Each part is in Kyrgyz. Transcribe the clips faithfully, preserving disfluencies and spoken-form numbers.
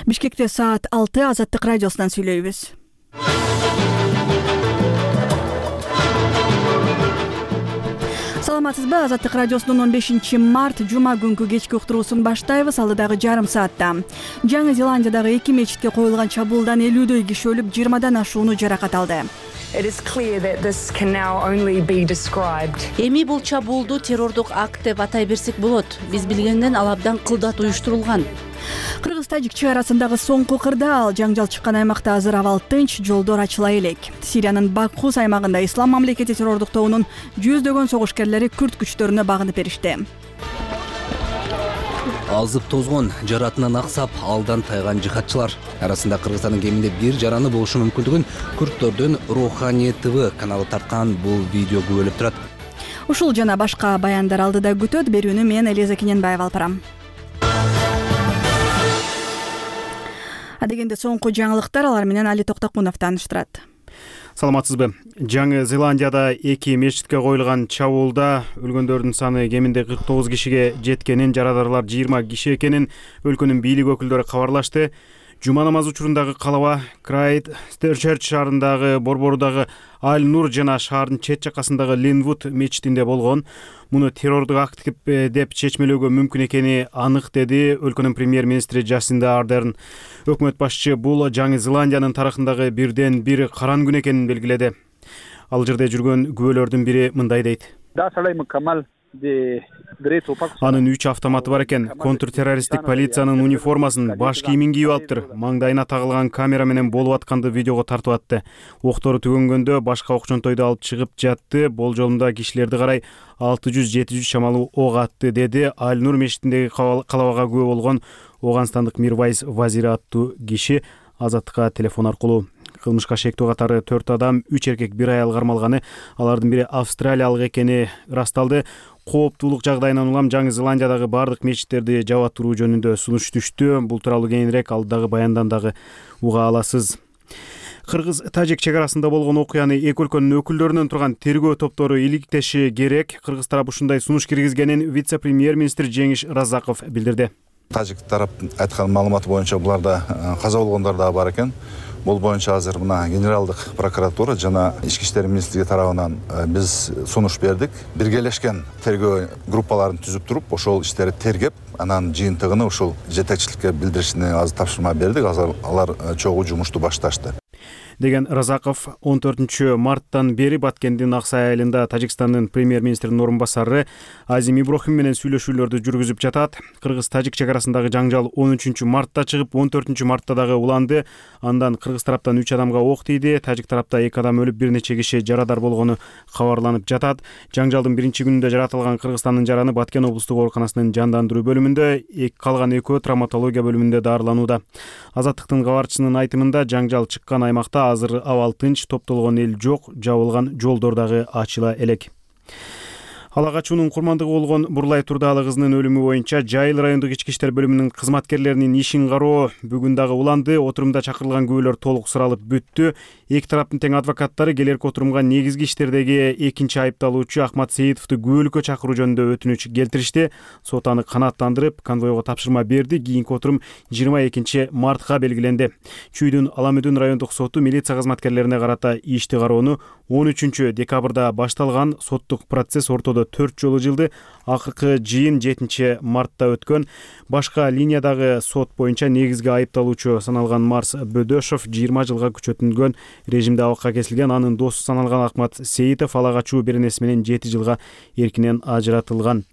Бишкекте саат алты Азаттык радиосунан сүйлөйбүз. Саламатсызбы? Азаттык радиосунун он бешинчи март жума күнкү кечки уктуруусун баштайбыз. Алдыдагы жарым саатта Жаңы Зеландиядагы эки мечитке коюлган чабуулдан элүүдөй киши өлүп, жыйырмадан ашууну жаракат алды. Эми бул чабуулду террордук акт деп атай берсек болот. Биз билгенден ал абдан кылдат уюштурулган. Кыргыз-тажик чек арасындагы соңку кырдаал, жаңжал чыккан аймакта азыр абал тынч, жолдор ачыла элек. Сириянын Бакхус аймагында Ислам мамлекети террордук тобунун жүздөгөн согушкерлери күрд күчтөрүнө багынып беришти. Азып тозгон, жаратынан аксап, алдан тайган жихадчылар арасында Кыргызстандын кеминде бир жараны болушу мүмкүндүгүн Күрдтөрдүн Руханий ТВ каналы тарткан бул видео күбөлөп турат. Ушул жана башка баяндар алдыда күтөт. Берүүнү мен Элиза Кененбаева алып барам. Адегенде соңку жаңылыктар, алар менен Али Токтокунов тааныштырат. Саламатсызбы? Жаңы Зеландияда эки мечитке коюлган чабуулда өлгөндөрдүн саны кеминде кырк тогуз кишиге жеткенин, жарадарлар жыйырма киши экенин өлкөнүн бийлик өкүлдөрү кабарлашты. Жума намазы учурундагы калаба Крайт Стерчерч шаарындагы борборудагы Аль-Нур жана шаардын чет жакасындагы Линвуд мечитинде болгон. Муну террордук акт деп чечмелөөгө мүмкүн экени анык, деди өлкөнүн премьер-министри Джасинда Ардерн. Өкмөт башчы бул Жаңы Зеландиянын тарыхындагы бирден бир каран күн экенин белгиледи. Ал жерде жүргөн күбөлөрдүн бири мындай дейт. Анын үч автоматы бар экен. Контртеррористтик полициянын униформасын, баш кийимин кийип алыптыр. Маңдайына тагылган камера менен болуп атканды видеого тартып атты. Октору түгөнгөндө башка окчонтойду алып чыгып жатты. Болжолунда кишилерди карай алты жүз жети жүз чамалуу ок атты, деди Аль-Нур мечитиндеги калабага күбө болгон Оганстандык Мирвайз Вазири аттуу киши Азаттыкка телефон аркылуу. Кылмышка шектүү катары төрт адам, үч эркек, бир аял кармалганы, алардын бири австралиялык экени ырасталды. Кооптуулук жагдайынан улам Жаңы Зеландиядагы бардык мечиттерди жаба туруу жөнүндө сунуш түштү. Бул тууралуу кийинирээк алдагы баяндан дагы уга аласыз. Кыргыз-тажик чек арасында болгон окуяны эки өлкөнүн өкүлдөрүнөн турган тергөө топтору иликтеши керек. Кыргыз тарап ушундай сунуш киргизгенин вице-премьер-министр Жеңиш Разаков билдирди. Тажик тараптын айткан маалыматы боюнча буларда каза болгондор да бар экен. Бул боюнча азыр мына генералдык прокуратура жана ички иштер министрлиги тарабынан биз сунуш бердик. Биргелешкен тергөө группаларын түзүп туруп, ошол иштерди тергеп, анан жыйынтыгын ушул жетекчиликке билдиришине азыр тапшырма бердик. Азыр алар чогуу жумушту башташты. Деген Разаков он төртүнчү марттан бери Баткендин Аксай айылында Тажикстандын премьер-министринин орун басары Азим Иброхим менен сүйлөшүүлөрдү жүргүзүп жатат. Кыргыз-тажик чек арасындагы жаңжал он үчүнчү мартта чыгып, он төртүнчү мартта дагы уланды. Андан кыргыз тараптан үч адамга ок тийди. Тажик тарапта эки адам өлүп, бир нече киши жарадар болгону кабарланып жатат. Жаңжалдын биринчи күнүндө жаратылган Кыргызстандын жараны Баткен облустук ооруканасынын жандандыруу бөлүмүндө, калган экөө травматология бөлүмүндө дарыланууда. Азаттыктын кабарчысынын айтымында жаңжал чыккан аймакта азыр абал тынч, топтолгон эл жок, жабылган жолдор дагы ачыла элек. Ала качуунун курмандыгы болгон Бурлай Турдаалы кызынын өлүмү боюнча Жайыл райондук ички иштер бөлүмүнүн кызматкерлеринин ишин кароо бүгүн дагы уланды. Отурумда чакырылган күбөлөр толук суралып бүттү. Эки тараптын тең адвокаттары келерки отурумга негизги иштердеги экинчи айыпталуучу Ахмат Сейитовду күбөлүккө чакыруу жөнүндө өтүнүч келтиришти. Сот аны канааттандырып, конвойго тапшырма берди. Кийинки отурум жыйырма экинчи мартка белгиленди. Чүйдүн Аламүдүн райондук соту милиция кызматкерлерине карата ишти кароону он үчүнчү декабрда башталган. Соттук процесс ортодо төрт жолу жылды. Акыркы жыйын жетинчи мартта өткөн. Башка линиядагы сот боюнча негизги айыпталуучу саналган Марс Бөдөшов жыйырма жылга күчөтүлгөн режимде абакка кесилген. Анын досу саналган Ахмат Сейитов ала качуу беренеси менен жети жылга эркинен ажыратылган.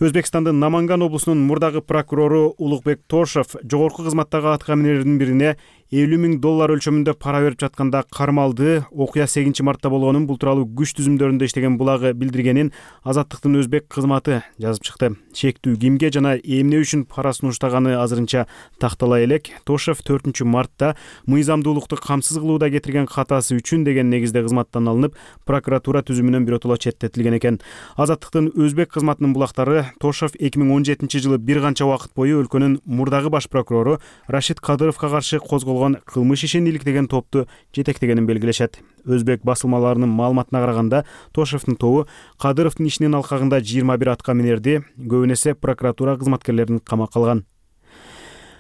Өзбекстандын Наманган облусунун мурдагы прокурору Улукбек Тошев жогорку кызматтагы аткаминердин бирине элүү миң доллар өлчөмүндө пара берип жатканда кармалды. Окуя сегизинчи мартта болгонун, бул тууралуу күч түзүмдөрүндө иштеген булагы билдиргенин Азаттыктын өзбек кызматы жазып чыкты. Чектүү кимге жана эмне үчүн пара сунуштаганы азырынча тактала элек. Тошев төртүнчү мартта мыйзамдуулукту камсыз кылууда кетирген катасы үчүн деген негизде кызматтан алынып, прокуратура түзүмүнөн биротоло четтетилген экен. Азаттыктын өзбек кызматынын булактары Тошев эки миң он жетинчи жылы бир канча убакыт бою өлкөнүн мурдагы баш прокурору Рашид Кадыровго каршы козголгон кылмыш ишин иликтеген топту жетектегенин белгилешет. Өзбек басылмаларынын маалыматына караганда, Тошевдин тобу Кадыровдун ишинин алкагында жыйырма бир аткаминерди, көбүн эсе прокуратура кызматкерлерин камакка алган.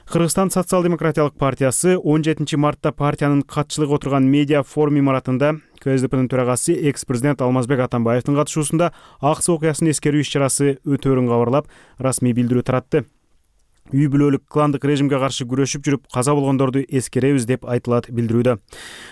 Кыргызстан социал-демократиялык партиясы он жетинчи мартта партиянын катчылыгы отурган медиа форум имаратында К С Д П'нин төрагасы экс-президент Алмазбек Атамбаевдин катышуусунда аксы окуясын эскерүү иш-чарасы өтөөрүн кабарлап, расмий билдирүү таратты. Үй бүлөлүк кландык режимге каршы күрөшүп жүрүп каза болгондорду эскеребиз деп айтылат билдирүүдө.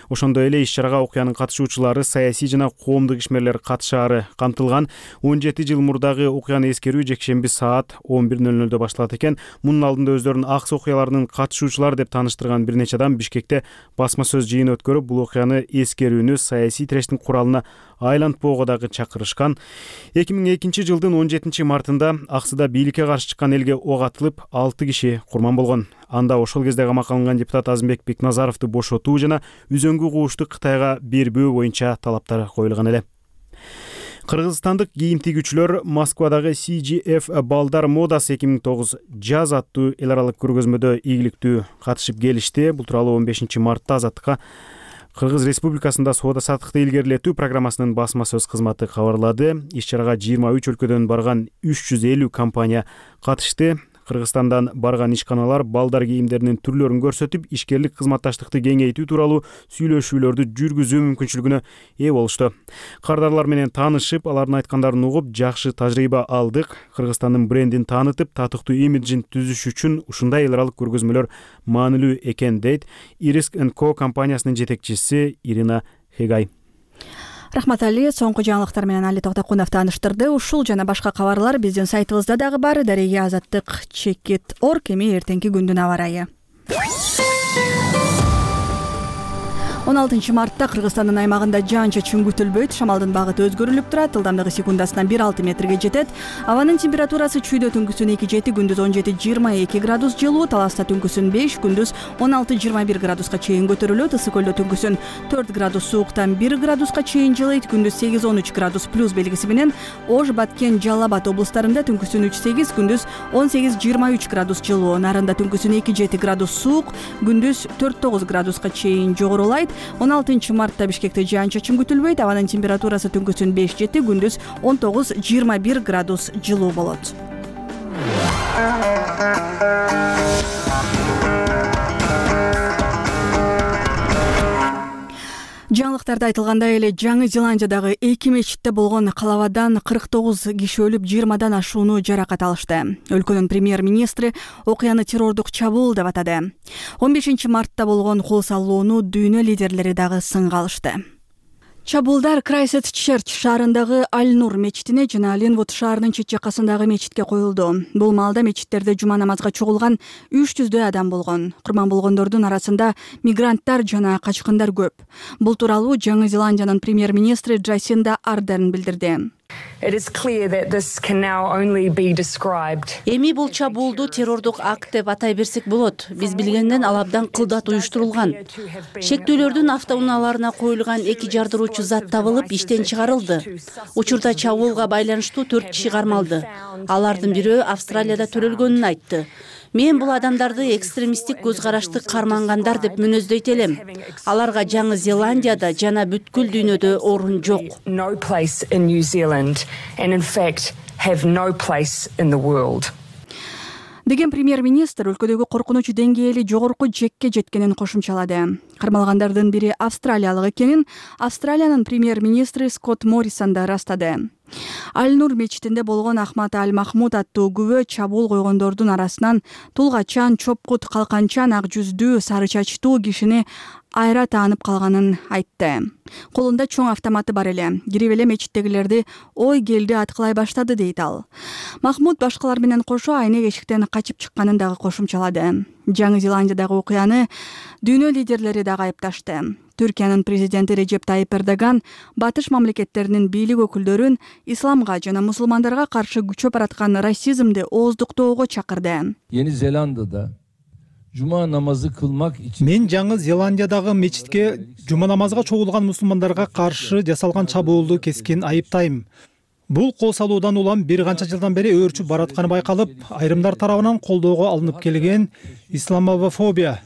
Ошондой эле иш-чарага окуянын катышуучулары саясий жана коомдук ишмерлер катышаары камтылган. он жети жыл мурдагы окуяны эскерүү жекшемби саат он бир ноль нольдо башталат экен. Мунун алдында өздөрүн аксы окуяларынын катышуучулары деп тааныштырган бир нече адам Бишкекте басма сөз жыйын өткөрүп, бул окуяны эскерүүнү саясий тирештин куралына айлантпоого дагы чакырышкан. эки миң экинчи жылдын он жетинчи мартында Аксыда бийликке каршы чыккан элге ок атылып, алты киши курман болгон. Анда ошол кезде камакка алынган депутат Азымбек Бекназаровду бошотуу жана үзөңгү куушту Кытайга бербөө боюнча талаптар коюлган эле. Кыргызстандык кийим тигүүчүлөр Москвадагы Си Джи Эф Балдар модасы эки миң тогуз жаз аттуу эл аралык көргөзмөдө ийгиликтүү катышып келишти. Бул тууралуу он бешинчи мартта Азаттыкка Кыргыз Республикасында соода саттыкты илгерилетүү программасынын басма сөз кызматы кабарлады. Иш-чарага жыйырма үч өлкөдөн барган үч жүз элүү компания катышты. Кыргызстандан барган ишканалар балдар кийимдеринин түрлөрүн көрсөтүп, ишкерлик кызматташтыкты кеңейтүү тууралуу сүйлөшүүлөрдү жүргүзүү мүмкүнчүлүгүнө ээ болушту. Кардарлар менен таанышып, алардын айткандарын угуп, жакшы тажрыйба алдык. Кыргызстандын брендин таанытып, татыктуу имиджин түзүш үчүн ушундай эл аралык көргөзмөлөр маанилүү экен дейт Ириск энд Ко компаниясынын жетекчиси Ирина Хегай. Рахмат Али, соңку жаңылыктар менен Али Токтокунов тааныштырды. Ушул жана башка кабарлар биздин сайтыбызда дагы бар. Дареге Азаттык чекит точка орг. Эми эртеңки күндүн аба ырайы. он алтынчы мартта Кыргызстандын аймагында жаан-чачын күтүлбөйт. Шамалдын багыты өзгөрүлүп турат. Ылдамдыгы секундасынан бир алты метрге жетет. Абанын температурасы чүйдө түнкүсүн эки жети, күндүз он жети жыйырма эки градус жылуу, Таласта түнкүсүн беш, күндүз он алты жыйырма бир градуска чейин көтөрүлөт. Ысык көлдө түнкүсүн төрт градус сууктан бир градуска чейин жылыйт. Күндүз сегиз он үч градус плюс белгиси менен Ош, Баткен, Жалал Абад облустарында түнкүсүн үч сегиз, күндүз он сегиз жыйырма үч градус жылуу. Нарында түнкүсүн эки жети градус суук, күндүз төрт тогуз градуска чейин жогорулайт. он алтынчы мартта Бишкекте жаан-чачын күтүлбөйт. Абанын температурасы түнкүсүн беш жети, күндүз он тогуз жыйырма бир градус жылуу болот. Жаңылыктарда айтылгандай эле Жаңы Зеландиядагы эки мечитте болгон калабадан кырк тогуз киши өлүп, жыйырмадан ашууну жаракат алышты. Өлкөнүн премьер-министри окуяны террордук чабуул деп атады. он бешинчи мартта болгон кол салууну дүйнө лидерлери дагы сынга алышты. Чабуулдар Крайстчерч шаарындагы Аль-Нур мечитине жана Ленвуд шаарынын чет жакасындагы мечитке коюлду. Бул маалда мечиттерде жума намазга чогулган үч жүздөй адам болгон. Курман болгондордун арасында мигранттар жана качкындар көп. Бул тууралуу Жаңы Зеландиянын премьер-министри Джасинда Ардерн билдирди. Эми бул чабуулду террордук акт деп атай берсек болот. Биз билгенден ал абдан кылдат уюштурулган. Шектүүлөрдүн автоунааларына коюлган эки жардыруучу зат табылып, иштен чыгарылды. Учурда чабуулга байланыштуу төрт киши кармалды. Алардын бирөө Австралияда төрөлгөнүн айтты. Мен бул адамдарды экстремисттик көз карашты кармангандар деп мүнөздөйт элем. Аларга Жаңы Зеландияда жана бүткүл дүйнөдө орун жок. Деген премьер-министр өлкөдөгү коркунуч деңгээли жогорку жекке жеткенин кошумчалады. Кармалгандардын бири австралиялык экенин Австралиянын премьер-министри Скотт Моррисон да ырастады. Аль-Нур мечитинде болгон Ахмат Аль-Махмуд аттуу күбө чабуул койгондордун арасынан тулгачан, чопкут, калканчан, ак жүздүү, сары чачтуу кишини айра таанып калганын айтты. Колунда чоң автоматы бар эле. Кирип эле мечиттегилерди ой келди аткылай баштады дейт ал. Махмуд башкалар менен кошо айнек эшиктен качып чыкканын дагы кошумчалады. Жаңы Зеландиядагы окуяны дүйнө лидерлери дагы айыпташты. Түркиянын президенти Режеп Тайип Эрдоган батыш мамлекеттеринин бийлик өкүлдөрүн исламга жана мусулмандарга каршы күчөп бараткан расизмди ооздуктоого чакырды. Yeni Zelanda'da Cuma namazı kılmak için Мен Жаңы Зеландиядагы мечитке жума намазга чогулган мусулмандарга каршы жасалган чабуулду кескин айыптайм. Бул кол салуудан улам бир канча жылдан бери өөрчүп баратканы байкалып, айрымдар тарабынан колдоого алынып келген исламофобия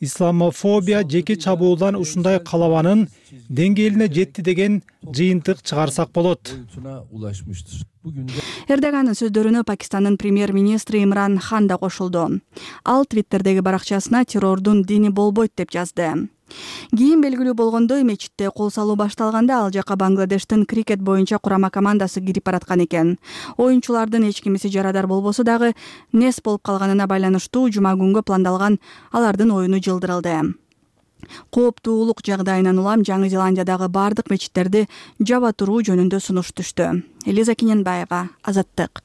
исламофобия жеке чабуулдан ушундай калабанын деңгээлине жетти деген жыйынтык чыгарсак болот. Эрдогандын сөздөрүнө Пакистандын премьер-министри Имран Хан да кошулду. Ал Твиттердеги баракчасына террордун дини болбойт деп жазды. Кийин белгилүү болгондой, мечитте кол салуу башталганда ал жака Бангладештин крикет боюнча курама командасы кирип бараткан экен. Оюнчулардын эч кимиси жарадар болбосо дагы нес болуп калганына байланыштуу жума күнгө пландалган алардын оюну жылдырылды. Кооптуулук жагдайынан улам Жаңы Зеландиядагы бардык мечиттерди жаба туруу жөнүндө сунуш түштү. Элиза Кененбаева, Азаттык.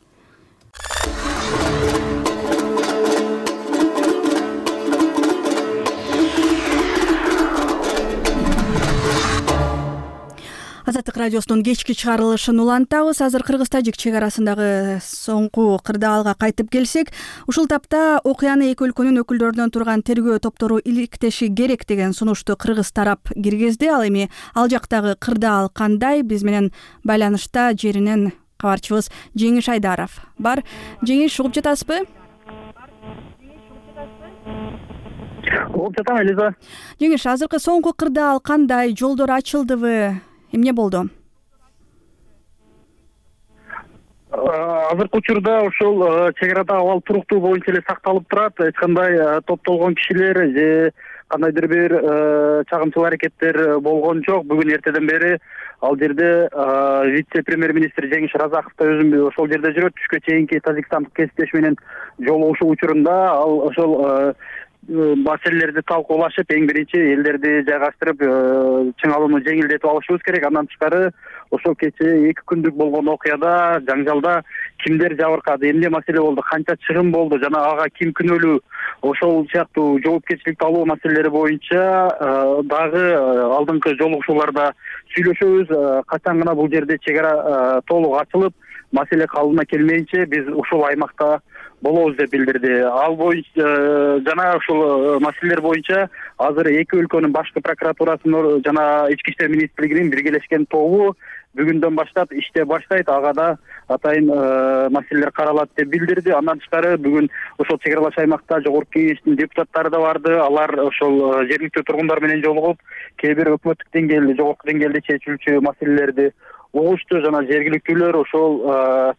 Азаттык радиосунун кечки чыгарылышын улантабыз. Азыр Кыргыз-Тажик чек арасындагы соңку кырдаалга кайтып келсек, ушул тапта окуяны эки өлкөнүн өкүлдөрүнөн турган тергөө топтору иликтеши керек деген сунушту кыргыз тарап киргизди. Ал эми ал жактагы кырдаал кандай? Биз менен байланышта жеринен кабарчыбыз Жеңиш Айдаров бар. Жеңиш, угуп жатасызбы? Угуп жатам, Элиза. Жеңиш, азыркы соңку кырдаал кандай? Жолдор ачылдыбы? Эмне болду? Азыркы учурда ушул чек арада абал туруктуу боюнча эле сакталып турат. Эч кандай топтолгон кишилер же кандайдыр бир чагымчыл аракеттер болгон жок. Бүгүн эртеден бери ал жерде вице-премьер-министр Жеңиш Разаков да өзүм ошол жерде жүрөт. Түшкө чейинки тажикстандык кесиптеши менен жолугушуу учурунда ал ошол маселелерди талкуулашып, эң биринчи элдерди жайгаштырып, чыңалууну жеңилдетип алышыбыз керек. Андан тышкары ошол кечээ эки күндүк болгон окуяда, жаңжалда кимдер жабыркады, эмне маселе болду, канча чыгым болду жана ага ким күнөөлүү, ошол сыяктуу жоопкерчиликти алуу маселелери боюнча дагы алдыңкы жолугушууларда сүйлөшөбүз. Качан гана бул жерде чек ара толук ачылып, маселе калыбына келмейинче биз ушул аймакта болобуз деп билдирди. Ал боюнча жана ушул маселелер боюнча азыр эки өлкөнүн башкы прокуратурасынын жана ички иштер министрлигинин биргелешкен тобу бүгүндөн баштап иште баштайт. Ага да атайын маселелер каралат деп билдирди. Андан тышкары бүгүн ошол чек аралаш аймакта жогорку кеңештин депутаттары да барды. Алар ошол жергиликтүү тургундар менен жолугуп, кээ бир өкмөттүк деңгээлде, жогорку деңгээлде чечилүүчү маселелерди угушту жана жергиликтүүлөр ошол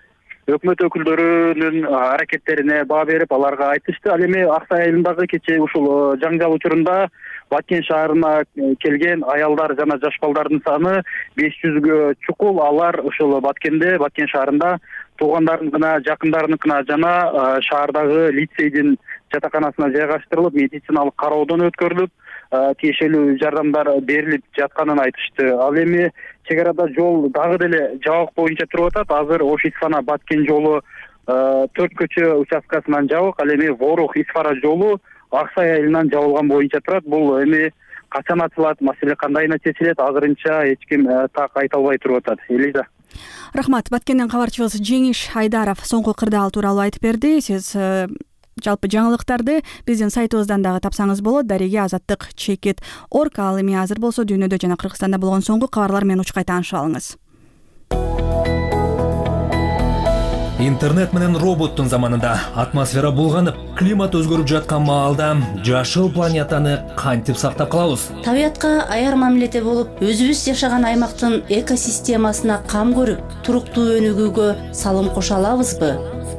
өкмөт өкүлдөрүнүн аракеттерине баа берип, аларга айтышты. Ал эми Аксай айылындагы кечээ ушул жаңжал учурунда Баткен шаарына келген аялдар жана жаш балдардын саны беш жүзгө чукул. Алар ошол Баткенде, Баткен шаарында туугандарыныкына, жакындарыныкына жана шаардагы лицейдин жатаканасына жайгаштырылып, медициналык кароодон өткөрүлүп, тиешелүү жардамдар берилип жатканын айтышты. Ал эми чек арада жол дагы деле жабык боюнча туруп атат. Азыр Ош Исфана Баткен жолу төрт көчө участкасынан жабык. Ал эми Ворух Исфара жолу Аксай айылынан жабылган боюнча турат. Бул эми качан ачылат, маселе кандайына чечилет, азырынча эч ким так айта албай туруп атат. Элиза. Рахмат. Баткенден кабарчыбыз Жеңиш Айдаров соңку кырдаал тууралуу айтып берди. Сиз жалпы жаңылыктарды биздин сайтыбыздан дагы тапсаңыз болот. Дареге Азаттык чекит орг. Ал эми азыр болсо дүйнөдө жана Кыргызстанда болгон соңку кабарлар менен учкай таанышып алыңыз. Интернет менен роботтун заманында атмосфера булганып, климат өзгөрүп жаткан маалда жашыл планетаны кантип сактап калабыз? Табиятка аяр мамиледе болуп, өзүбүз жашаган аймактын экосистемасына кам көрүп, туруктуу өнүгүүгө салым кошо алабызбы?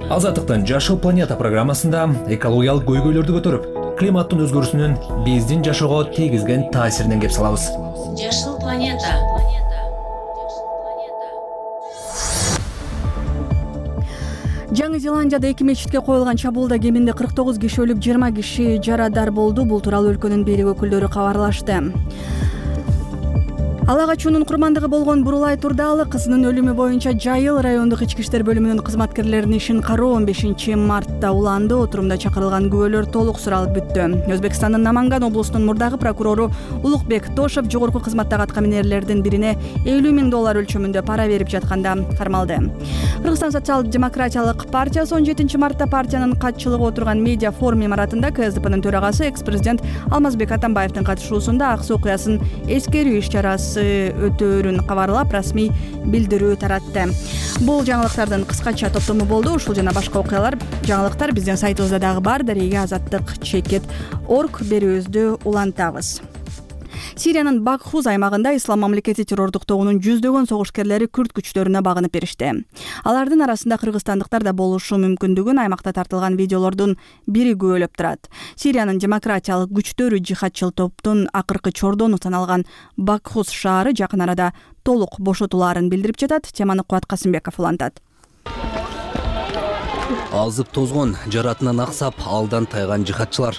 Азаттыктын Жашыл планета программасында экологиялык көйгөйлөрдү көтөрүп, климаттын өзгөрүүсүнүн биздин жашоого тийгизген таасиринен кеп салабыз. Жашыл планета. Жаңы Зеландияда эки мечитке коюлган чабуулда кеминде кырк тогуз киши өлүп, жыйырма киши жарадар болду. Бул тууралуу өлкөнүн бийлик өкүлдөрү кабарлашты. Ала качуунун курмандыгы болгон Бурулай Турдаалы кызынын өлүмү боюнча Жайыл райондук ички иштер бөлүмүнүн кызматкерлеринин ишин кароо он бешинчи мартта уланды. Отурумда чакырылган күбөлөр толук суралып бүттү. Өзбекстандын Наманган облусунун мурдагы прокурору Улукбек Тошев жогорку кызматтагы аткаминерлердин бирине элүү миң доллар өлчөмүндө пара берип жатканда кармалды. Кыргызстан социал-демократиялык партиясы он жетинчи мартта партиянын катчылыгы отурган медиа форум имаратында КСДПнын төрагасы экс-президент Алмазбек Атамбаевдин катышуусунда Аксы окуясын эскерүү иш чарасы акчасы өтөөрүн кабарлап расмий билдирүү таратты. Бул жаңылыктардын кыскача топтому болду. Ушул жана башка окуялар, жаңылыктар биздин сайтыбызда дагы бар. Дареге азаттык чекит орг берүүбүздү улантабыз. Сириянын Бакхуз аймагында Ислам мамлекети террордук тобунун жүздөгөн согушкерлери күрд күчтөрүнө багынып беришти. Алардын арасында кыргызстандыктар да болушу мүмкүндүгүн аймакта тартылган видеолордун бири күбөлөп турат. Сириянын демократиялык күчтөрү жихадчыл топтун акыркы чордону саналган Бакхуз шаары жакын арада толук бошотулаарын билдирип жатат. Теманы Кубат Касымбеков улантат. Азып тозгон, жаратынан аксап, алдан тайган жихадчылар.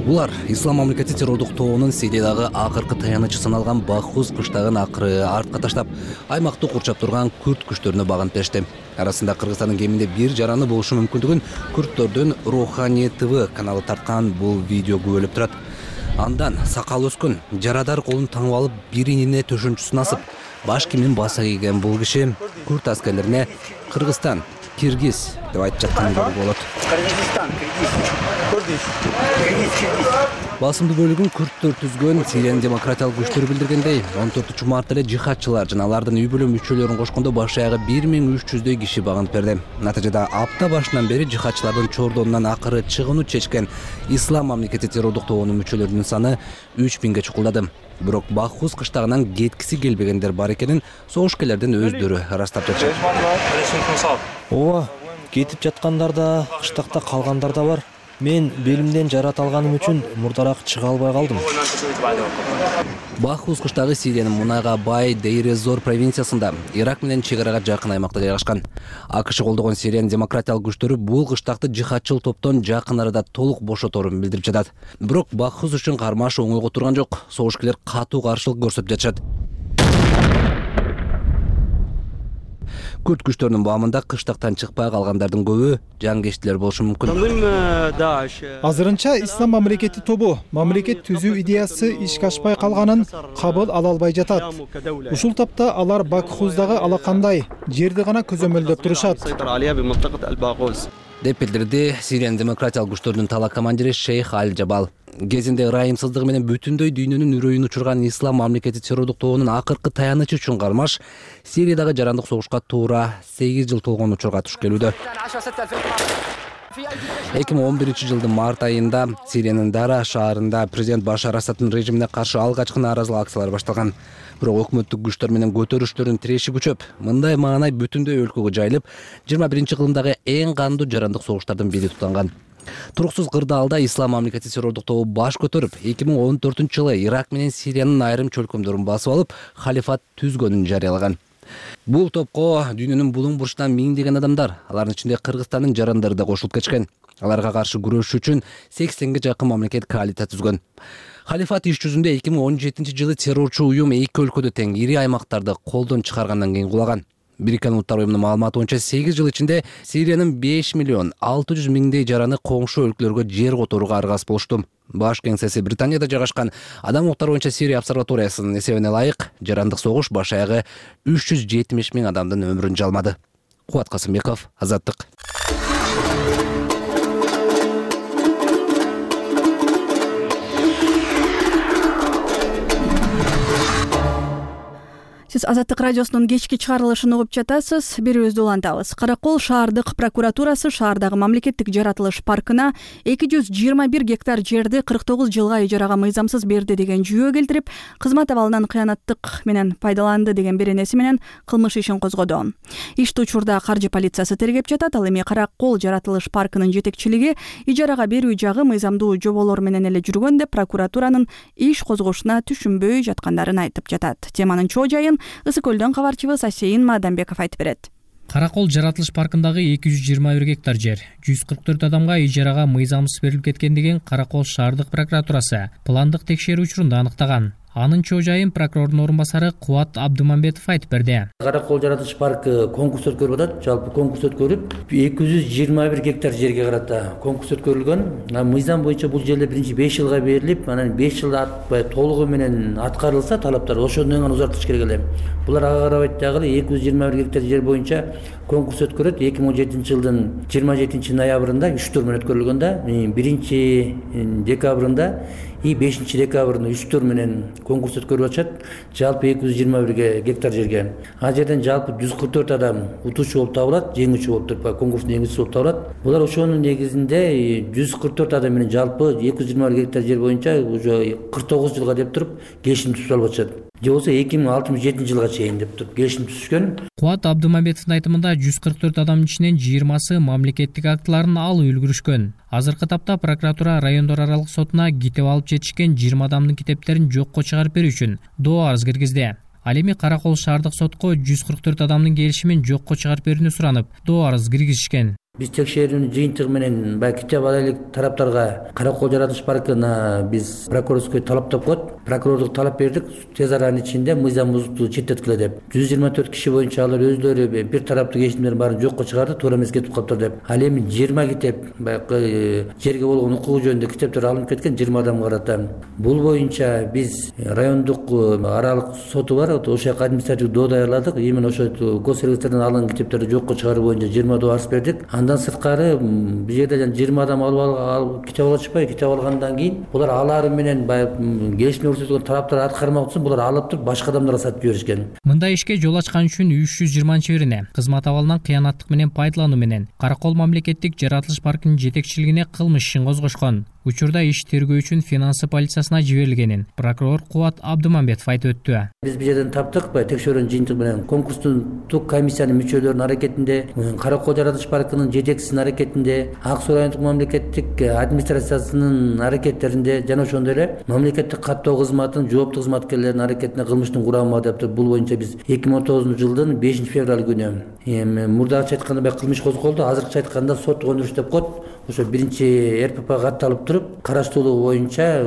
Булар Ислам мамлекети террордук тобунун Сириядагы акыркы таянычы саналган Бакхуз кыштагын акыры артка таштап, аймакты курчап турган күрд күчтөрүнө багынып беришти. Арасында Кыргызстандын кеминде бир жараны болушу мүмкүндүгүн Күрдтөрдүн Рухани ТВ каналы тарткан бул видео күбөлөп турат. Андан сакал өскөн, жарадар колун таңып алып, биринине төшөнчүсүн асып, баш кийимин баса кийген бул киши күрд аскерлерине Кыргызстан, Киргиз деп айтып жатканын көрүүгө болот. Кыргызстан, Киргиз, Кыргыз. Басымдуу бөлүгүн күрдтөр түзгөн Сириянын демократиялык күчтөрү билдиргендей, он төртүнчү мартта эле жихадчылар жана алардын үй бүлө мүчөлөрүн кошкондо баш аягы бир миң үч жүздөй киши багынып берди. Натыйжада апта башынан бери жихадчылардын чордонунан акыры чыгууну чечкен Ислам мамлекети террордук тобунун мүчөлөрүнүн саны үч миңге чукулдады. Бирок Бакхуз кыштагынан кеткиси келбегендер бар экенин согушкерлердин өздөрү ырастап жатышат. Ооба, кетип жаткандар да, кыштакта калгандар да бар. Мен белимден жарат алганым үчүн мурдараак чыга албай калдым. Бакхуз кыштагы Сириянын мунайга бай Дейр-эз-Зор провинциясында, Ирак менен чек арага жакын аймакта жайгашкан. АКШ колдогон Сириянын демократиялык күчтөрү бул кыштакты жихадчыл топтон жакын арада толук бошоторун билдирип жатат. Бирок Бакхуз үчүн кармаш оңойго турган жок. Согушкерлер катуу каршылык көрсөтүп жатышат. Күрд күчтөрүнүн баамында кыштактан чыкпай калгандардын көбү жангештилер болушу мүмкүн. Азырынча Ислам мамлекети тобу мамлекет түзүү идеясы ишке ашпай калганын кабыл ала албай жатат. Ушул тапта алар Бакхуздагы алакандай жерди гана көзөмөлдөп турушат. деп билдирди Сириянын демократиялык күчтөрүнүн тала командири Шейх Аль-Жабал. Кезинде ырайымсыздыгы менен бүтүн дүйнөнүн үрөйүн учурган Ислам мамлекети террордук тобунун акыркы таянычы үчүн кармаш Сириядагы жарандык согушка туура сегиз жыл толгон учурга туш келүүдө. эки миң он биринчи жылдын март айында Сириянын Дара шаарында президент Башар Асаддын режимине каршы алгачкы нааразылык акциялары башталган. Бирок өкмөттүк күчтөр менен көтөрүштөрдүн тиреши күчөп, мындай маанай бүтүндөй өлкөгө жайылып, жыйырма биринчи кылымдагы эң кандуу жарандык согуштардын бири тутанган. Туруксуз кырдаалда Ислам мамлекети террордук тобу баш көтөрүп, эки миң он төртүнчү жылы Ирак менен Сириянын айрым чөлкөмдөрүн басып алып, халифат түзгөнүн жарыялаган. Бул топко дүйнөнүн булуң бурчунан миңдеген адамдар, алардын ичинде Кыргызстандын жарандары да кошулуп кетишкен. Аларга каршы күрөшүү үчүн сексенге жакын мамлекет коалиция түзгөн. Халифат иш жүзүндө эки миң он жетинчи жылы террорчу уюм эки өлкөдө тең ири аймактарды колдон чыгаргандан кийин кулаган. Бириккен Улуттар уюмунун маалыматы боюнча сегиз жыл ичинде Сириянын беш миллион алты жүз миңдей жараны коңшу өлкөлөргө жер которууга аргасыз болушту. Баш кеңсеси Британияда жайгашкан Адам укуктары боюнча Сирия обсерваториясынын эсебине ылайык, жарандык согуш баш аягы үч жүз жетимиш миң адамдын өмүрүн жалмады. Кубат Касымбеков, Азаттык. Сиз Азаттык радиосунун кечки чыгарылышын угуп жатасыз. Берүүбүздү улантабыз. Каракол шаардык прокуратурасы шаардагы мамлекеттик жаратылыш паркына эки жүз жыйырма бир гектар жерди кырк тогуз жылга ижарага мыйзамсыз берди деген жүйө келтирип, кызмат абалынан кыянаттык менен пайдаланды деген беренеси менен кылмыш ишин козгоду. Ишти учурда каржы полициясы тергеп жатат. Ал эми Каракол жаратылыш паркынын жетекчилиги ижарага берүү жагы мыйзамдуу жоболор менен эле жүргөн деп прокуратуранын иш козгошуна түшүнбөй жаткандарын айтып жатат. Теманын чоо жайын Ысык көлдөн кабарчыбыз Асейин Мадамбеков айтып берет. Каракол жаратылыш паркындагы эки жүз жыйырма бир гектар жер жүз кырк төрт адамга ижарага мыйзамсыз берилип кеткен деген Каракол шаардык прокуратурасы пландык текшерүү учурунда аныктаган. Анын чоо жайын прокурордун орун басары Кубат Абдымамбетов айтып берди. Каракол жаратылыш паркы конкурс өткөрүп атат. Жалпы конкурс өткөрүп эки жүз жыйырма бир гектар жерге карата конкурс өткөрүлгөн. Мыйзам боюнча бул жерлер биринчи беш жылга берилип, анан беш жылда атпай толугу менен аткарылса талаптар ошондон кийин узартыш керек эле. Булар ага карабайт дагы эки жүз жыйырма бир гектар жер боюнча конкурс өткөрөт. эки миң он жетинчи жылдын жыйырма жетинчи ноябрында үч тур менен өткөрүлгөн да, биринчи декабрында и бешинчи декабрында үч тур менен конкурс өткөрүп атышат жалпы эки жүз жыйырма бир гектар жерге. Ал жерден жалпы жүз кырк төрт адам утуучу болуп табылат, жеңүүчү болуп туруп конкурстун жеңүүчүсү болуп табылат. Булар ошонун негизинде жүз кырк төрт адам менен жалпы эки жүз жыйырма бир гектар жер боюнча уже кырк тогуз жылга деп туруп келишим түзүп алып атышат. Же болбосо эки миң алтымыш жетинчи жылга чейин деп туруп келишим түзүшкөн. Кубат Абдымамбетовдун айтымында жүз кырк төрт адамдын ичинен жыйырмасы мамлекеттик актыларын алып үлгүрүшкөн. Азыркы тапта прокуратура райондор аралык сотуна китеп алып жетишкен жыйырма адамдын китептерин жокко чыгарып берүү үчүн доо арыз киргизди. Ал эми Каракол шаардык сотко жүз кырк төрт адамдын келишимин жокко чыгарып берүүнү суранып, доо арыз киргизишкен. Биз текшерүүнүн жыйынтыгы менен баягы китеп алайлык тараптарга Каракол жаратылыш паркына биз прокурорский талаптап коет. Прокурорлук талап бердик тез аранын ичинде мыйзам бузукту четтеткиле деп. жүз жыйырма төрт киши боюнча алар өздөрү бир тараптуу келишимдерин баарын жокко чыгарды, туура эмес кетип калыптыр деп. Ал эми жыйырма китеп баягы жерге болгон укугу жөнүндө китептер алынып кеткен жыйырма адамга карата. Бул боюнча биз райондук аралык соту бар, ошол жака административдик доо даярладык. Именно ошо госрегистрден алынган китептерди жокко чыгаруу боюнча жыйырма доо арыз бердик. Андан сырткары бул жерде жана жыйырма адам алып китеп алып атышпайбы? Китеп алгандан кийин булар алар менен баягы келишим көрсөткөн тараптар аткармак үчүн булар алып туруп башка адамдарга сатып жиберишкен. Мындай ишке жол ачкан үчүн үч жүз жыйырманчы бирине кызмат абалынан кыянаттык менен пайдалануу менен Каракол мамлекеттик жаратылыш паркынын жетекчилигине кылмыш ишин козгошкон. Учурда иш тергөө үчүн финансы полициясына жиберилгенин прокурор Кубат Абдымамбетов айтып өттү. Биз бул жерден таптык, текшерүүнүн жыйынтыгы менен конкурстун тук комиссиянын мүчөлөрүнүн аракетинде, Каракол жаратылыш паркынын жетекчисинин аракетинде, Ак Суу райондук мамлекеттик администрациясынын аракеттеринде жана ошондой эле мамлекеттик каттоо кызматынын жооптуу кызматкерлеринин аракетинде кылмыштын курамы деп туруп бул боюнча биз эки миң он тогузунчу жылдын бешинчи февраль күнү эми мурдагыча айтканда баягы кылмыш козголду, азыркыча айтканда соттук өндүрүш деп коет. Ошо биринчи эр пэ пэ катталып туруп, караштыруу боюнча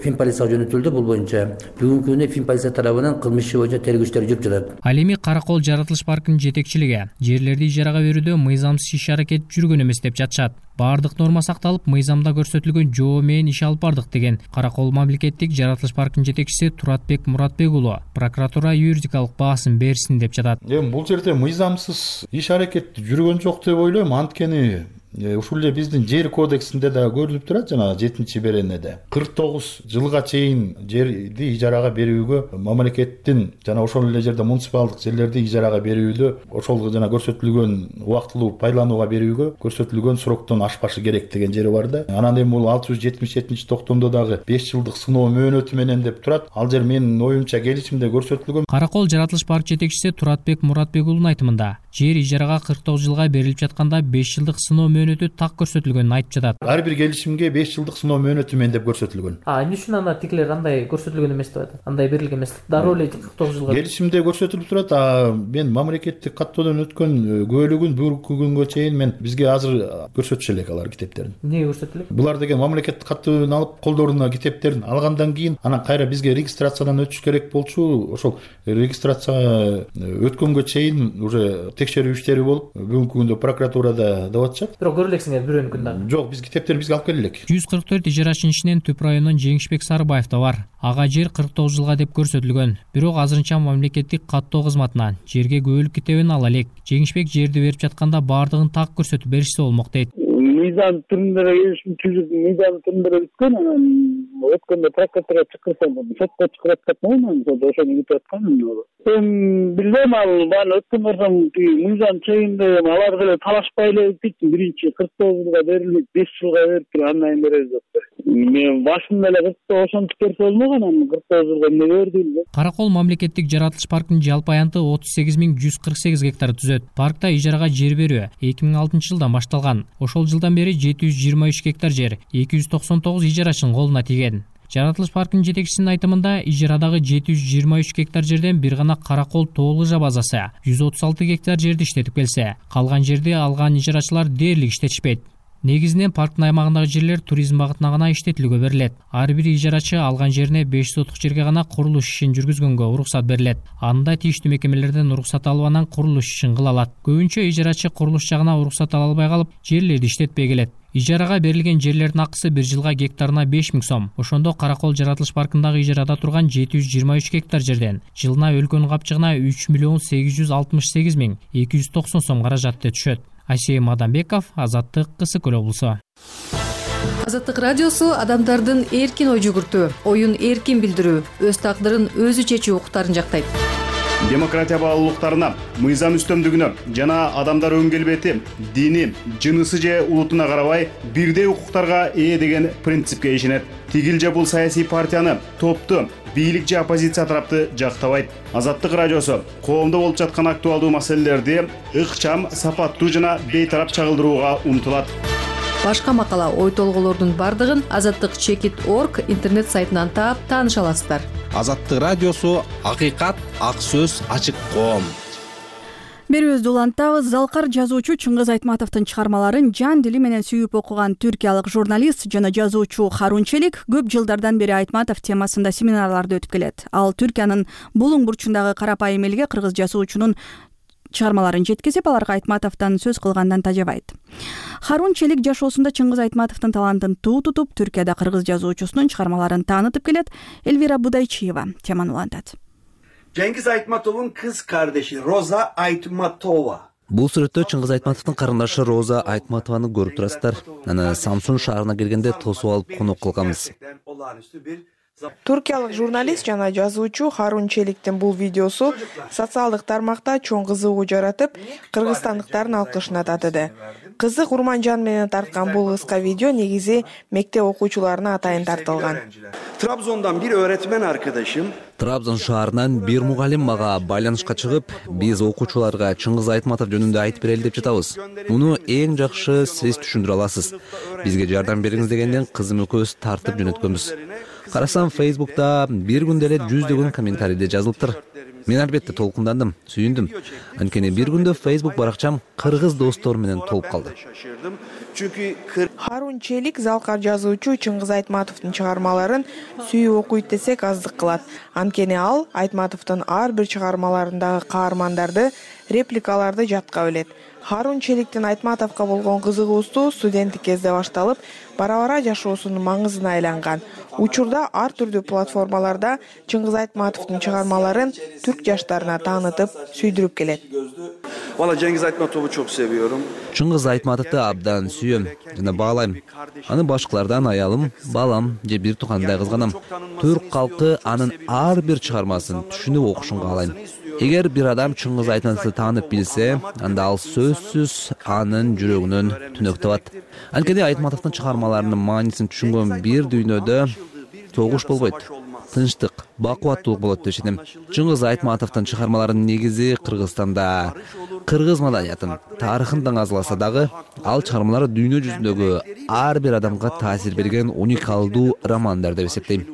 Фин полицияга жөнөтүлдү. Бул боюнча бүгүнкү күндө Фин полиция тарабынан кылмыш иши боюнча тергөө иштери жүрүп жатат. Ал эми Каракол жаратылыш паркынын жетекчилиги жерлерди ижарага берүүдө мыйзамсыз иш аракет жүргөн эмес деп жатышат. Бардык норма сакталып, мыйзамда көрсөтүлгөн жоо менен иш алып бардык деген Каракол мамлекеттик жаратылыш паркынын жетекчиси Туратбек Муратбек уулу прокуратура юридикалык баасын берсин деп жатат. Эми бул жерде мыйзамсыз иш аракет жүргөн жок деп ойлойм, анткени ушул эле биздин жер кодексинде да көрүлүп турат, жана жетинчи беренеде кырк тогуз жылга чейин жерди ижарага берүүгө мамлекеттин жана ошол эле жерде муниципалдык жерлерди ижарага берүүдө ошол жана көрсөтүлгөн убактылуу пайдаланууга берүүгө көрсөтүлгөн сроктон ашпашы керек деген жери бар да. Анан эми бул алты жүз жетимиш жетинчи токтомдо дагы беш жылдык сыноо мөөнөтү менен деп турат. Ал жер менин оюмча келишимде көрсөтүлгөн. Каракол жаратылыш парк жетекчиси Туратбек Муратбек уулунун айтымында жер ижарага кырк тогуз жылга берилип жатканда беш жылдык сыноо мөөнөтү так көрсөтүлгөнүн айтып жатат. Ар бир келишимге беш жылдык сыноо мөөнөтү менен деп көрсөтүлгөн. А эмне үчүн анда тигилер андай көрсөтүлгөн эмес деп атат? Андай берилген эмес. Дароо эле кырк тогуз жылга. Келишимде көрсөтүлүп турат. А мен мамлекеттик каттоодон өткөн күбөлүгүн бүгүнкү күнгө чейин мен бизге азыр көрсөтүшө элек алар китептерин. Эмнеге көрсөтүп элек? Булар деген мамлекеттик каттоодон алып колдоруна китептерин алгандан кийин анан кайра бизге регистрациядан өтүш керек болчу. Ошол регистрация өткөнгө чейин уже текшерүү иштери болуп, бүгүнкү күндө прокуратурада деп атышат. Бирок көрө элексиңер бирөөнү күндө. Жок, биз китептерди бизге алып келе элек. жүз кырк төрт ижарачынын ичинен Түп районунун Жеңишбек Сарыбаев да бар. Ага жер кырк тогуз жылга деп көрсөтүлгөн. Бирок азырынча мамлекеттик каттоо кызматынан жерге күбөлүк китебин ала элек. Жеңишбек жерди берип жатканда баардыгын так көрсөтүп беришсе болмок дейт. Мыйзам түрүндө келишим түзүп, мыйзам түрүндө өткөн, анан өткөндө прокуратурага чакырсам, сотко чыгып аткан, анан ошону күтүп аткан. Эми билбейм, ал бааны өткөн барсам мыйзам чегинде алар деле талашпай эле өтүп, биринчи кырк тогуз жылга берилип, беш жылга берип туруп андан берер жок. Мен башында эле кырк тогуз ошентип берсе болмок, анан кырк тогуз жылга эмне берди? Каракол мамлекеттик жаратылыш паркынын жалпы аянты отуз сегиз миң жүз кырк сегиз гектар түзөт. Паркта ижарага жер берүү эки миң алтынчы жылдан башталган. Ошол жылдан бери жети жүз жыйырма үч гектар жер эки жүз токсон тогуз ижарачынын колуна тиген. Жаратылыш паркынын жетекчисинин айтымында ижарадагы жети жүз жыйырма үч гектар жерден бир гана Каракол тоо лыжа базасы жүз отуз алты гектар жерди иштетип келсе, калган жерди алган ижарачылар дээрлик иштетишпейт. Негизинен парктын аймагындагы жерлер туризм багытына гана иштетилүүгө берилет. Ар бир ижарачы алган жерине беш сотук жерге гана курулуш ишин жүргүзгөнгө уруксат берилет. Анда тийиштүү мекемелерден уруксат алып анан курулуш ишин кыла алат. Көбүнчө ижарачы курулуш жагына уруксат ала албай калып, жерлерди иштетпей келет. Ижарага берилген жерлердин акысы бир жылга гектарына беш миң сом. Ошондо Каракол жаратылыш паркындагы ижарада турган жети жүз жыйырма үч гектар жерден жылына өлкөнүн капчыгына үч миллион сегиз жүз алтымыш сегиз миң эки жүз токсон сом каражатты түшөт. Асей Мадамбеков, Азаттык, Кысыкөл облусу. Азаттык радиосу адамдардын эркин ой жүгүртүү, оюн эркин билдирүү, өз тагдырын өзү чечүү укуктарын жактайт. Демократия баалуулуктарына, мыйзам үстөмдүгүнө жана адамдар өң келбети, дини, жынысы же улутуна карабай бирдей укуктарга ээ деген принципке ишенет. Тигил же бул саясий партияны, топту, бийлик же оппозиция тарапты жактабайт. Азаттык радиосу коомдо болуп жаткан актуалдуу маселелерди ыкчам, сапаттуу жана бейтарап чагылдырууга умтулат. Башка макала, ой толголордун бардыгын азаттык чекит орг интернет сайтынан таап тааныша аласыздар. Азаттык радиосу акыйкат, ак сөз, ачык коом. Берүүбүздү улантабыз. Залкар жазуучу Чыңгыз Айтматовдун чыгармаларын жан дили менен сүйүп окуган түркиялык журналист жана жазуучу Харун Челик көп жылдардан бери Айтматов темасында семинарларды өтүп келет. Ал Түркиянын булуң бурчундагы карапайым элге кыргыз жазуучунун чыгармаларын жеткизип, аларга Айтматовдон сөз кылгандан тажабайт. Харун Челик жашоосунда Чыңгыз Айтматовдун талантын туу тутуп, Түркияда кыргыз жазуучусунун чыгармаларын таанытып келет. Элвира Будайчиева теманы улантат. Cengiz Aytmatov'un kız kardeşi Roza Aytmatova. Бул сүрөттө Чыңгыз Айтматовдун карындашы Роза Айтматованы көрүп турасыздар. Аны Самсун шаарына келгенде тосуп алып конок кылганбыз. Туркиялык журналист жана жазуучу Харун Челиктин бул видеосу социалдык тармакта чоң кызыгуу жаратып, кыргызстандыктардын алкышына татыды. Кызык Урманжан менен тарткан бул кыска видео негизи мектеп окуучуларына атайын тартылган. Trabzon'dan bir öğretmen arkadaşım Трабзон шаарынан бир мугалим мага байланышка чыгып, биз окуучуларга Чыңгыз Айтматов жөнүндө айтып берели деп жатабыз. Муну эң жакшы сиз түшүндүрө аласыз. Бизге жардам бериңиз дегенден кызым экөөбүз тартып жөнөткөнбүз. Карасам Facebook'та бир күндө эле жүздөгөн комментарийде жазылыптыр. Мен албетте толкундандым, сүйүндүм. Анткени бир күндө Facebook баракчам кыргыз достор менен толуп калды. Харун Челик залкар жазуучу Чыңгыз Айтматовдун чыгармаларын сүйүп окуйт десек аздык кылат. Анткени ал Айтматовдун ар бир чыгармаларындагы каармандарды, репликаларды жатка билет. Харун Челиктин Айтматовго болгон кызыгуусу студенттик кезде башталып, бара-бара жашоосунун маңызына айланган. Учурда ар түрдүү платформаларда Чыңгыз Айтматовдун чыгармаларын түрк жаштарына таанытып, сүйдүрүп келет. Valla Cengiz Aytmatov'u çok seviyorum. Чыңгыз Айтматовду абдан сүйөм жана баалайм. Аны башкалардан аялым, балам же бир тукандай кызганам. Түрк калкы анын ар бир чыгармасын түшүнүп окушун каалайм. Эгер бир адам Чыңгыз Айтматовду таанып билсе, анда ал сөзсүз анын жүрөгүнөн түнөк табат. Анткени Айтматовдун чыгармаларынын маанисин түшүнгөн бир дүйнөдө согуш болбойт. Тынчтык, бакубаттуулук болот деп ишенем. Чыңгыз Айтматовдун чыгармаларынын негизи Кыргызстанда кыргыз маданиятын, тарыхын даңазаласа дагы, ал чыгармалары дүйнө жүзүндөгү ар бир адамга таасир берген уникалдуу романдар деп эсептейм.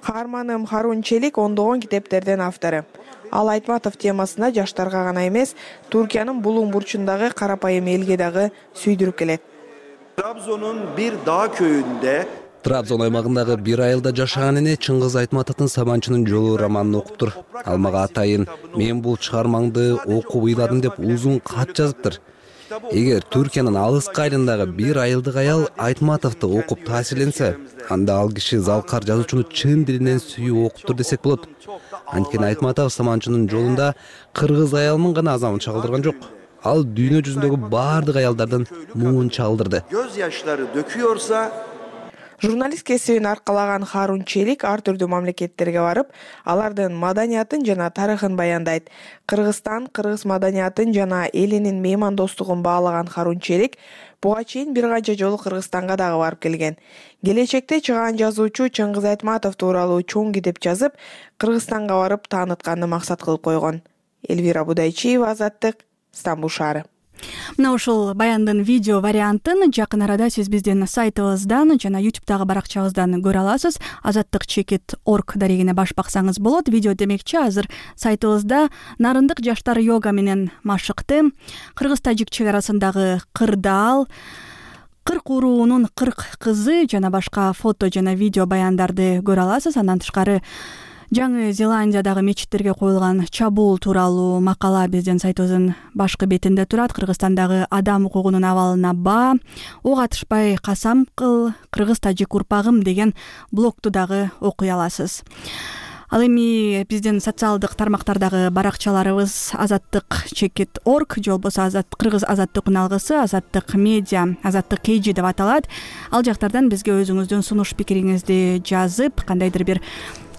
Каарманым Харун Челик ондогон китептердин автору. Ал Айтматов темасына жаштарга гана эмес, Түркиянын булуң бурчундагы карапайым элге дагы сүйдүрүп келет. Trabzon'un bir dağ köyünde Трабзон аймагындагы бир айылда жашаган эне Чыңгыз Айтматовдун Саманчынын жолу романын окуптур. Ал мага атайын мен бул чыгармаңды окуп ыйладым деп узун кат жазыптыр. Эгер Түркиянын алыскы айылындагы бир айылдык аял Айтматовду окуп таасирленсе, анда ал киши залкар жазуучуну чын дилинен сүйүп окуптур десек болот. Анткени Айтматов Саманчынын жолунда кыргыз аялынын гана азабын чагылдырган жок. Ал дүйнө жүзүндөгү бардык аялдардын муун чагылдырды. Göz yaşları döküyorsa Журналист кесибин аркалаган Харун Челик ар түрдүү мамлекеттерге барып, алардын маданиятын жана тарыхын баяндайт. Кыргызстан, кыргыз маданиятын жана элинин меймандостугун баалаган Харун Челик буга чейин бир канча жолу Кыргызстанга дагы барып келген. Келечекте чыгаан жазуучу Чыңгыз Айтматов тууралуу чоң китеп жазып, Кыргызстанга барып таанытканды максат кылып койгон. Элвира Будайчиева, Азаттык, Стамбул шаары. Мына ушул баяндын видео вариантын жакын арада сиз биздин сайтыбыздан жана ютубтагы баракчабыздан көрө аласыз. азаттык чекит орг дарегине баш баксаңыз болот. Видео демекчи азыр сайтыбызда нарындык жаштар йога менен машыкты, кыргыз-тажик чек арасындагы кырдаал, кырк уруунун кырк кызы жана башка фото жана видео баяндарды көрө аласыз. Андан тышкары Жаңы Зеландиядагы мечиттерге коюлган чабуул тууралуу макала биздин сайтыбыздын башкы бетинде турат. Кыргызстандагы адам укугунун абалына баа, ок атышпай касам кыл, кыргыз-тажик урпагым деген блогту дагы окуй аласыз. Ал эми биздин социалдык тармактардагы баракчаларыбыз азаттык чекит орг же болбосо азат кыргыз азаттык үналгысы, азаттык медиа, азаттык kg деп аталат. Ал жактардан бизге өзүңүздүн сунуш пикириңизди жазып, кандайдыр бир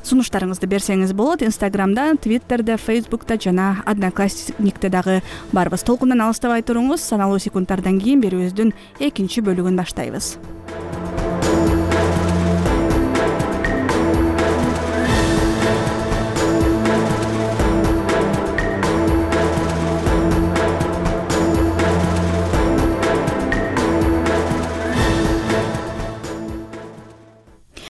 сунуштарыңызды берсеңиз болот. Инстаграмда, Твиттерде, Фейсбукта жана Одноклассникте дагы барбыз. Толкундан алыстабай туруңуз. Саналуу секундтардан кийин берүүбүздүн экинчи бөлүгүн баштайбыз.